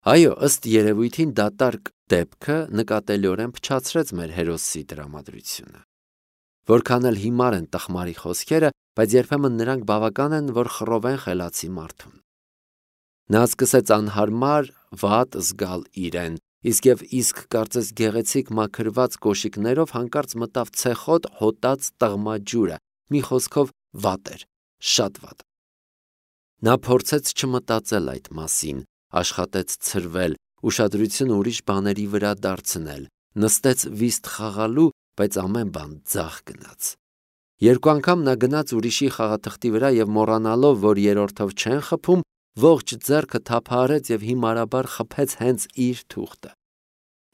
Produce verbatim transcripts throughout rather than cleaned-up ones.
Այո, ըստ երևույթին դատարկ դեպքը նկատելիորեն փչացրեց մեր հերոսի տրամադրությունը։ Որքան էլ հիմար են տխմարի խոսքերը, բայց երբեմն նրանք բավական են, որ խռովեն խելացի մարդուն։ Նա սկսեց անհարմար վատ զգալ իրեն, իսկ եւ իսկ կարծես գեղեցիկ մաքրված կոշիկներով հանկարծ մտավ ցեխոտ հոտած տղմաջուրը, մի խոսքով վատ էր, շատ վատ։ Նա փորձեց չմտածել այդ մասին, աշխատեց ցրվել, ուշադրությունը ուրիշ բաների վրա դարձնել, նստեց վիստ խաղալու, բայց ամեն բան ձախ գնաց։ Երկու անգամ նա գնաց ուրիշի խաղաթղթի վրա եւ մոռանալով, որ երրորդով չեն խփում, ողջ ձեռքը թափահարեց եւ հիմարաբար խփեց հենց իր թուղթը։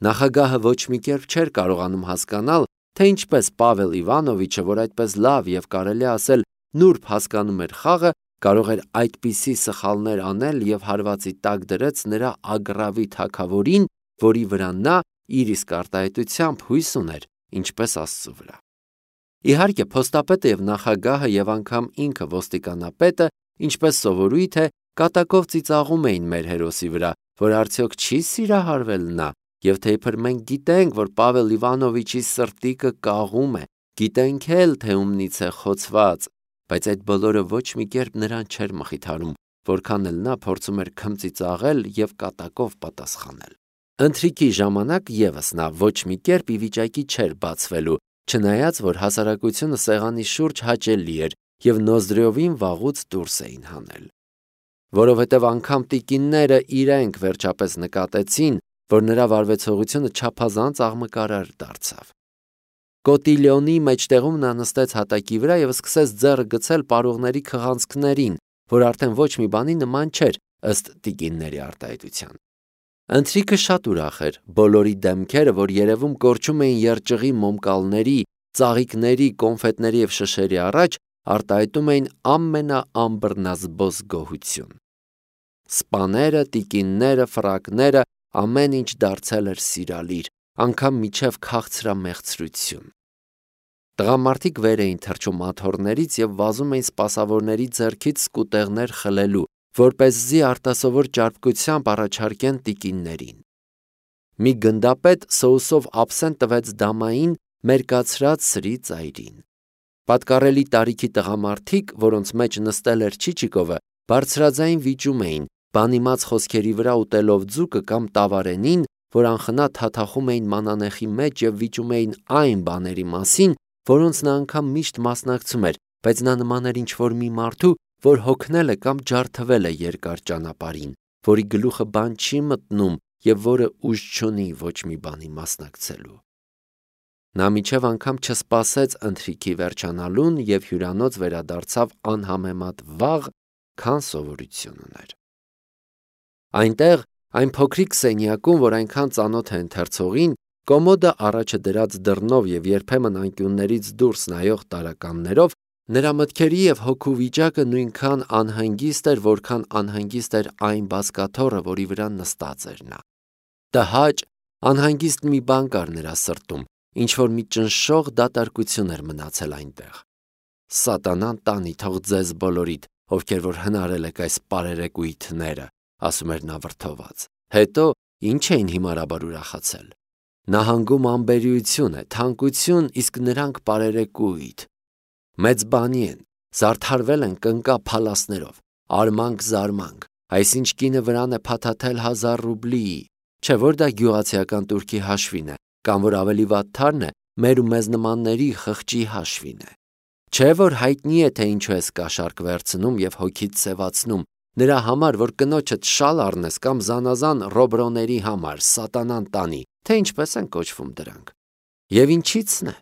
Նախագահը ոչ մի կերպ չէր կարողանում հասկանալ, թե ինչպես Պավել Իվանովիչը, որ այդպես լավ եւ կարելի ասել նուրբ հասկանում էր խաղը, կարող էր այդպիսի սխալներ անել եւ հարվածի տակ դրեց նրա ագռավի թագավորին, որի վրա նա իր իսկ արտահայտությամբ հույս ուներ, ինչպես Աստծո վրա։ Իհարկե, փոստապետը եւ նախագահը եւ անգամ ինքը ոստիկանապետը, ինչպես սովորույթ է, կատակով ծիծաղում էին մեր հերոսի վրա, որ արդյոք չի սիրահարվել նա, եւ թե իբր մենք գիտենք, որ Պավել Իվանովիչի սրտիկը կաղում է, գիտենք էլ, թե ումնից է խոցված, բայց այդ բոլորը ոչ մի կերպ նրան չէր մխիթարում, որքան էլ նա փորձում էր քմծիծաղել եւ կատակով պատասխանել։ Ընթրիքի ժամանակ եւս նա ոչ մի կերպ ի վիճակի չէր բացվելու, չնայած որ հասարակությունը սեղանի շուրջ հաճելի էր եւ Նոզդրեովին վաղուց դուրս էին հանել։ Որովհետեւ անգամ տիկինները իրենք վերջապես նկատեցին, որ նրա վարվեցողությունը չափազանց աղմկարար դարձավ։ Կոտիլյոնի մեջտեղում նա նստեց հատակի վրա եւ սկսեց ձեռը գցել պարողների քղանցքներին, որ արդեն ոչ մի բանի նման չէր, ըստ տիկինների արտահայտության։ Ընթրիքը շատ ուրախ էր, բոլորի դեմքերը, որ երևում կորչում էին երջղի մոմկալների, ծաղիկների, կոնֆետների եւ շշերի առաջ, արտահայտում էին ամենաամբռնազբոս գոհություն։ Սպաները, տիկինները, ֆրակները, ամեն ինչ դարձել էր սիրալիր, անգամ միջև քաղցրամեղցրություն։ Տղամարդիկ վեր էին թռչում աթոռներից եւ վազում էին սպասավորների ձեռքից սկուտեղներ խլելու, որպեսզի արտասովոր ճարպկությամբ առաջարկեն տիկիններին։ Մի գնդապետ սոուսով ափսեն տվեց դամային մերկացրած սրի ծայրին։ Պատկառելի տարիքի տղամարդիկ, որոնց մեջ նստել էր Չիչիկովը, բարձրաձայն վիճում էին, բանիմաց խոսքերի վրա ուտելով ձուկը կամ տավարենին, որ անխնա թաթախում էին մանանեխի մեջ եւ վիճում էին այն բաների մասին, որոնց նա անգամ միշտ մասնակցում էր, բայց նա նման էր ինչ-որ մի մարդու, որ հոգնել է կամ ջարդվել է երկար ճանապարհին, որի գլուխը բան չի մտնում եւ որը ուժ չունի ոչ մի բանի մասնակցելու։ Նա միջև անգամ չսպասեց ընթրիքի վերջանալուն եւ հյուրանոց վերադարձավ անհամեմատ վաղ, քան սովորություն ուներ։ Այնտեղ, այն փոքրիկ սենյակում, որ այնքան ծանոթ է ընթերցողին, կոմոդը առաջը դրած դռնով եւ երբեմն անկյուններից դուրս նայող տարականներով, նրա մտքերի եւ հոգու վիճակը նույնքան անհանգիստ էր, որքան անհանգիստ էր այն բազկաթոռը, որի վրա նստած էր նա։ Տհաճ, անհանգիստ մի բան կար նրա սրտում, ինչ որ մի ճնշող դատարկություն էր մնացել այնտեղ։ Սատանան տանի թող ձեզ բոլորիդ, ովքեր որ հնարել եք այս պարերեկույթները, ասում էր նա վրդոված։ Հետո ինչ էին հիմարաբար ուրախացել։ Նահանգում անբերիություն է, թանկություն, իսկ նրանք պարերեկույթ։ Մեծ բանի են, զարդարվել են կնկա փալասներով, արմանք-զարմանք, այսինչ կինը վրան է փաթաթել հազար ռուբլի, չէ որ դա գյուղացիական турքի հաշվին է, կամ որ ավելի վատ թարն է, մեր ու մեզ նմանների խղճի հաշվին է։ Չէ որ հայտնի է, թե ինչու ես կաշառք վերցնում եւ հոգիդ սևացնում, նրա համար, որ կնոջդ շալ առնես կամ զանազան ռոբրոների համար, սատանան տանի, թե ինչպես են կոչվում դրանք։ Եվ ինչի՞ցն է,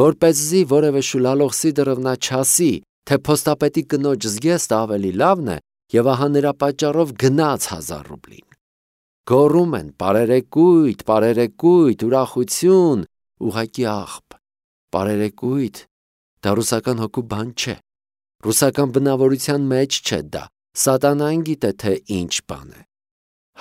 որպեսզի որևէ շուլալող Սիդորովնա չասի, թե փոստապետի կնոջ զգեստը ավելի լավն է, եւ ահա նրա պատճառով գնաց հազար ռուբլին։ Գոռում են պարերեկույթ, պարերեկույթ, ուրախություն, ուղակի աղբ։ Պարերեկույթ, դա ռուսական հոգու բան չէ։ Ռուսական բնավորության մեջ չէ դա։ Սատանան գիտե, թե ինչ բան է։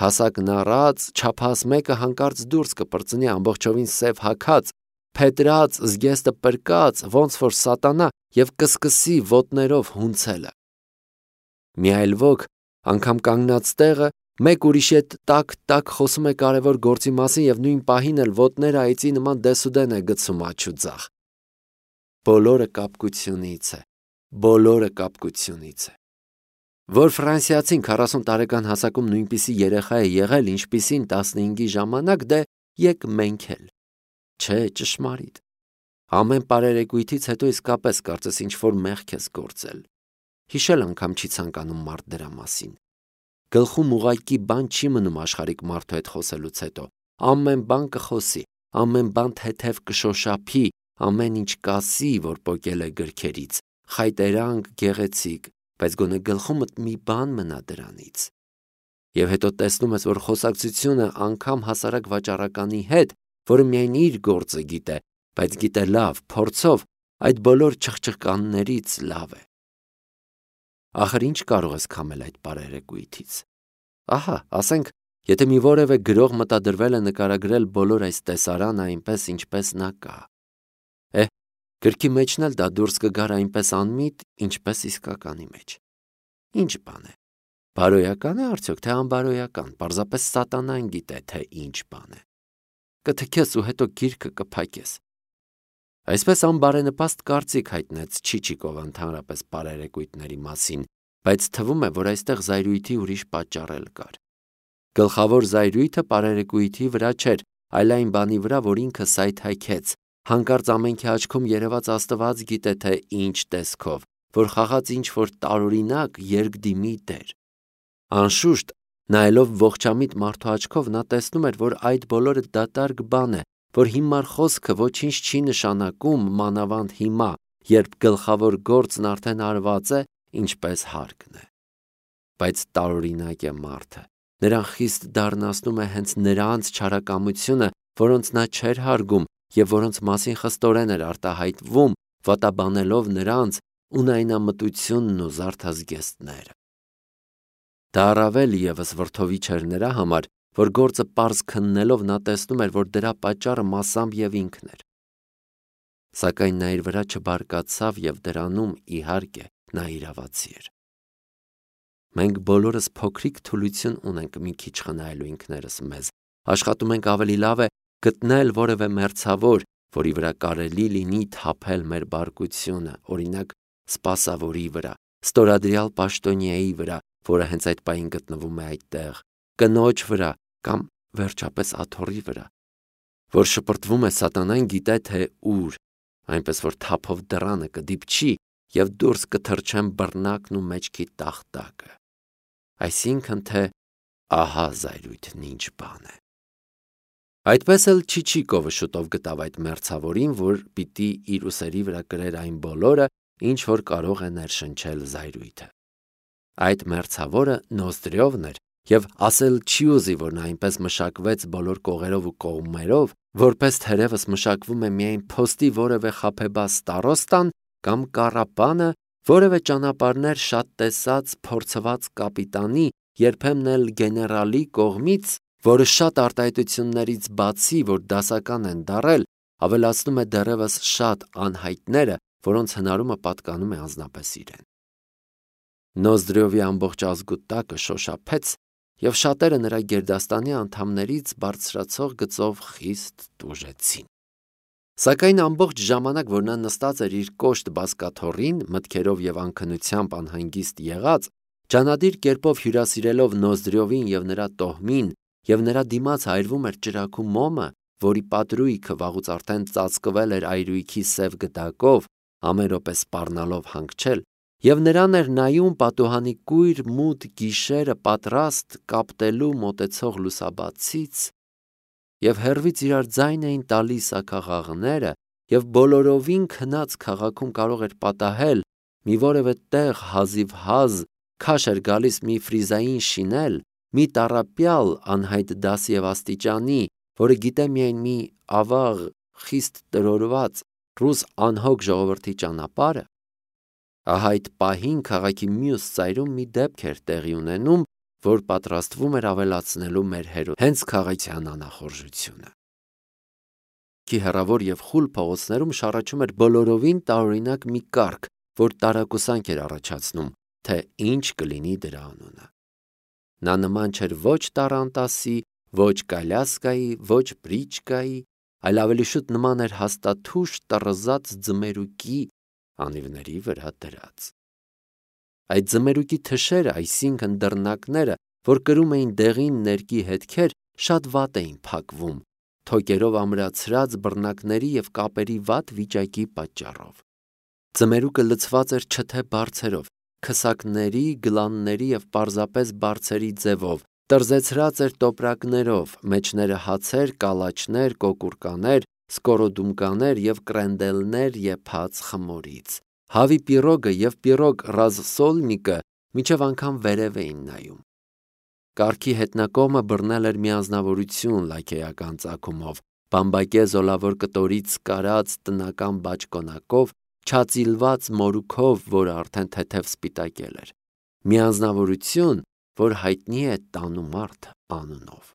Հասակն առած, չափահաս մեկը հանկարծ դուրս կպրծնի ամբողջովին սև հագած, փետրած, զգեստը պրկած, ոնց որ սատանա, եւ կսկսի ոտներով հունցելը։ Մի այլ ոք, անգամ կանգնած տեղը, մեկ ուրիշի հետ տակ-տակ խոսում է կարևոր գործի մասին և նույն պահին էլ ոտները այծի նման դեսուդեն է գցում աջ ու ձախ։ Բոլորը կապկությունից է, բոլորը կապկությունից է։ Որ ֆրանսիացին քառասուն տարեկան հասակում նույնպիսի երեխա է եղել, ինչպիսին տասնհինգի ժամանակ, դե եկ մենք էլ։ Չէ, ճշմարիտ։ Ամեն պարերեկույթից հետո իսկապես կարծես ինչ-որ մեղք ես գործել։ Հիշել անգամ չի ցանկանում մարդ դրա մասին։ Գլխում ուղղակի բան չի մնում աշխարհիկ մարդու հետ խոսելուց հետո։ Ամեն բան կխոսի, ամեն բան թեթև կշոշափի, ամեն ինչ կասի, որ պոկել է գրքերից, խայտերանք, գեղեցիկ, բայց գոնե գլխումդ մի բան մնա դրանից։ Եվ հետո տեսնում ես, որ խոսակցությունը անգամ հասարակ վաճառականի հետ, որը միայն իր գործը գիտե, բայց գիտե լավ, փորձով, այդ բոլոր չխչկաններից լավ է։ Ախր ինչ կարող ես քամել այդ պարերեկույթից։ Ահա, ասենք, եթե մի որևէ գրող մտադրվել է նկարագրել բոլոր այս տեսարանը այնպես, ինչպես նա կա։ Է, գրքի մեջն էլ դա դուրս կգար այնպես անմիտ, ինչպես իսկականի մեջ։ Ինչ բան է։ Բարոյական է արդյոք, թե անբարոյական, պարզապես սատանան գիտե, թե ինչ բան է։ Կթքես ու հետո գիրքը կփակես։ Այսպես անբարենպաստ կարծիք հայտնեց Չիչիկովը ընդհանրապես պարերեկույթների մասին, բայց թվում է, որ այստեղ զայրույթի ուրիշ պատճառ էլ կար։ Գլխավոր զայրույթը պարերեկույթի վրա չէր, այլ այն բանի վրա, որ ինքը սայթաքեց, հանկարծ ամենքի աչքում երևաց Աստված գիտե թե ինչ տեսքով, որ խաղաց ինչ-որ տարօրինակ երկդիմի դեր։ Անշուշտ, նայելով ողջամիտ մարդու աչքով, նա տեսնում էր, որ այդ բոլորը դատարկ բան է, որ հիմար խոսքը ոչինչ չի նշանակում, մանավանդ հիմա, երբ գլխավոր գործն արդեն արված է, ինչպես հարկն է։ Բայց տարօրինակ է մարդը, նրան խիստ դառնացնում է հենց նրանց չարակամությունը, որոնց նա չէր հարգում և որոնց մասին խստորեն էր արտահայտվում, վատաբանելով նրանց ունայնամտությունն ու զարդազգեստները։ Դա առավել ևս վրդովիչ էր նրա համար, որ գործը պարզ քննելով նա տեսնում էր, որ դրա պատճառը մասամբ և ինքն էր։ Սակայն նա իր վրա չբարկացավ և դրանում, իհարկե, նա իրավացի էր։ Մենք բոլորս փոքրիկ թուլություն ունենք մի քիչ խնայելու ինքներս մեզ, աշխատում ենք ավելի լավ է գտնել որևէ մերձավոր, որի վրա կարելի լինի թափել մեր բարկությունը, օրինակ սպասավորի վրա, ստորադրյալ պաշտոնյայի վրա, որը հենց այդ պահին գտնվում է այդտեղ, կնոջ վրա կամ վերջապես աթոռի վրա, որ շպրտվում է սատանան գիտե թե ուր, այնպես որ թափով դռանը կդիպչի և դուրս կթռչեն բռնակն ու մեջքի տախտակը։ Այսինքն թե ահա զայրույթն ինչ բան է։ Այդպես էլ Չիչիկովը շուտով գտավ այդ մերձավորին, որ պիտի իր ուսերի վրա կրեր այն բոլորը, ինչ որ կարող է ներշնչել զայրույթը։ Այդ մերձավորը Նոզդրևն էր, և ասել չի ուզի, որ նա այնպես մշակվեց բոլոր կողերով ու կողմերով, որպես թերևս մշակվում է միայն փոստի որևէ խաբեբա ստարոստան կամ կառապանը, որևէ ճանապարհներ շատ տեսած փորձված կապիտանի, երբեմն էլ գեներալի կողմից, որը շատ արտահայտություններից բացի, որ դասական են դառել, ավելացնում է դեռևս շատ անհայտները, որոնց հնարումը պատկանում է անձնապես իրեն։ Նոզդրևի ամբողջ ազգուտակը շոշափեց, և շատերը նրա գերդաստանի անդամներից բարձրացող գծով խիստ տուժեցին։ Սակայն ամբողջ ժամանակ, որ նա նստած էր իր կոշտ բազկաթոռին, մտքերով և անքնությամբ անհանգիստ եղած, ջանադիր կերպով հյուրասիրելով Նոզդրևին և նրա տոհմին, և նրա դիմաց այրվում էր ճրագու մոմը, որի պատրույգը վաղուց արդեն ծածկվել էր այրույքի սև գդակով, ամեն րոպե սպառնալով հանգչել, և նրան էր նայում պատուհանի կույր մութ գիշերը պատրաստ կապտելու մոտեցող լուսաբացից, և հեռվից իրար ձայն էին տալիս աքաղաղները, և բոլորովին քնած քաղաքում կարող էր պատահել մի որևէ տեղ հազիվհազ քաշ էր գալիս մի ֆրիզային շինել, մի տառապյալ անհայտ դասի և աստիճանի, որը գիտե միայն մի ավաղ, խիստ տրորված ռուս անհոգ ժողովրդի ճանապարհը, ահա այդ պահին քաղաքի մյուս ծայրում մի դեպք էր տեղի ունենում, որ պատրաստվում էր ավելացնելու մեր հերոսի հենց քաղաքյան անախորժությունը։Քի հեռավոր և խուլ փողոցներում շառաչում էր բոլորովին տարօրինակ մի կառք, որ տարակուսանք էր առաջացնում, թե ինչ կլինի դրա անունը։ Նա նման չէր ոչ Տարանտասի, ոչ Կալյասկայի, ոչ Բրիչկայի, այլ ավելի շուտ նման էր հաստաթուշ տռզած ձմերուկի անիվների վրա դրած։ Այդ ձմերուկի թշերը, այսինքն դռնակները, որ կրում էին դեղին ներկի հետքեր, շատ վատ էին փակվում, թոկերով ամրացրած բռնակների և կապերի վատ վիճակի պատճառով։ Ձմերուկը լցված էր չթե բարձերով, քսակների, գլանների և պարզապես բարձերի ձևով, տռզեցրած էր տոպրակներով, մեջները հացեր, կալաչներ, կոկուրկաներ, սկորոդումկաներ և կրենդելներ եփած խմորից։ Հավի պիրոգը և պիրոգ ռազսոլնիկը մինչև անգամ վերև էին նայում։ Կառքի հետնակողմը բռնել էր մի անձնավորություն լաքեական ծագումով, բամբակե զոլավոր կտորից կարած տնական բաճկոնակով, չածիլված մորուքով, որը արդեն թեթև սպիտակել էր։ Մի անձնավորություն, որ հայտնի է Տանումարդ անունով։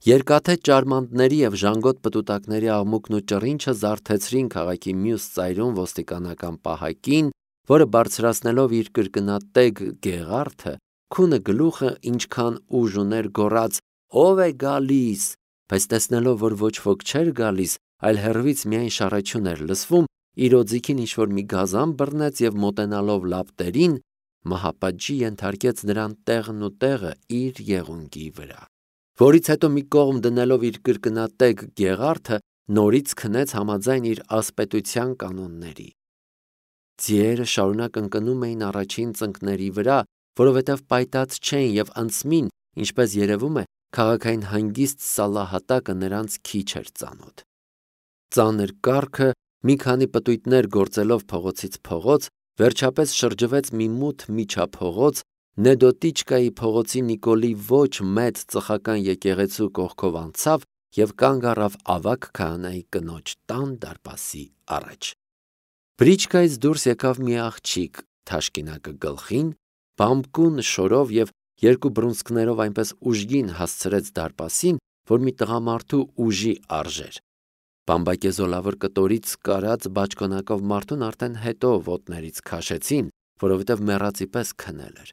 Երկաթե ճարմանտների և ժանգոտ պտուտակների աղմուկն ու ճռինչը զարթեցրին քաղաքի մյուս ծայրում ոստիկանական պահակին, որը բարձրացնելով իր կրկնատեգ գեղարդը, քունը գլուխը ինչքան ուժ ուներ գոռաց. «Ո՞վ է գալիս», բայց տեսնելով, որ ոչ ոք չէր գալիս, այլ հեռվից միայն շառաչյուն էր լսվում, իր օձիքին ինչ-որ մի գազան բռնեց և մոտենալով լապտերին, մահապատժի ենթարկեց նրան տեղն ու տեղը իր եղունգի վրա, որից հետո մի կողմ դնելով իր կրկնատեգ գեղարդը, նորից քնեց համաձայն իր ասպետության կանոնների։ Ձիերը շարունակ ընկնում էին առաջին ծնկների վրա, որովհետև պայտած չէին և անցմին, ինչպես երևում է, քաղաքային հանգիստ սալահատակը նրանց քիչ էր ծանոթ։ Ծանր կառքը, մի քանի պտույտներ գործելով փողոցից փողոց, վերջապես շրջվեց մի մութ միջափողոց, Նեդոտիչկայի փողոցի Նիկոլի ոչ մեծ ծխական եկեղեցու կողքով անցավ և կանգ առավ ավագ քահանայի կնոջ տան դարպասի առաջ։ Բրիչկայից դուրս եկավ մի աղջիկ, թաշկինակը գլխին, բամբկուն շորով և երկու բռունցքներով այնպես ուժգին հասցրեց դարպասին, որ մի տղամարդու ուժի արժեր։ Բամբակե զոլավոր կտորից կարած բաճկոնակով մարդուն արդեն հետո ոտներից քաշեցին, որովհետև մեռածի պես քնել էր։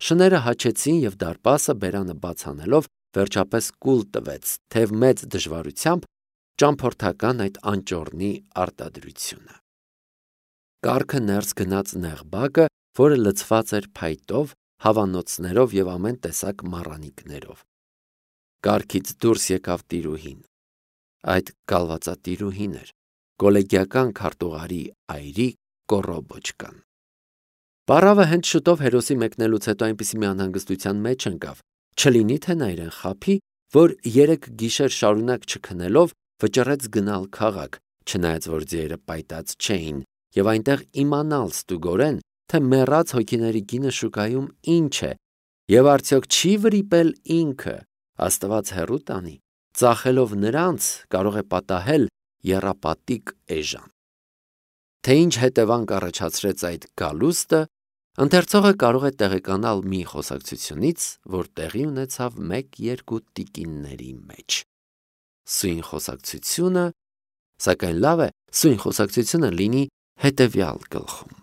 Շները հաչեցին և դարպասը, բերանը բաց անելով, վերջապես կուլ տվեց, թեև մեծ դժվարությամբ, ճամփորդական այդ անճոռնի արտադրությունը։ Կառքը ներս գնաց նեղ բակը, որը լցված էր փայտով, հավանոցներով և ամեն տեսակ մառանիքներով։ Կառքից դուրս եկավ տիրուհին։ Այդ կալվածատիրուհին էր, կոլեգիական քարտուղարի այրի Կոռոբոչկան։ Պարավը հենց շուտով հերոսի մեկնելուց հետո այնպիսի մի անհանգստության մեջ ընկավ, չլինի թե նա իրեն խաբի, որ երեք գիշեր շարունակ չքնելով վճռեց գնալ քաղաք, չնայած որ ձիերը պայտած չէին, և այնտեղ իմանալ ստուգորեն, թե մեռած հոգիների գինը շուկայում ինչ է, և արդյոք չի վրիպել ինքը, Աստված հեռու տանի, ծախելով նրանց, կարող է պատահել եռապատիկ էժան։ Թե ինչ հետևանք առաջացրեց այդ գալուստը, ընթերցողը կարող է տեղեկանալ մի խոսակցությունից, որ տեղի ունեցավ մեկ-երկու տիկինների մեջ։ Սույն խոսակցությունը, սակայն լավ է, սույն խոսակցությունը լինի հետևյալ գլխում։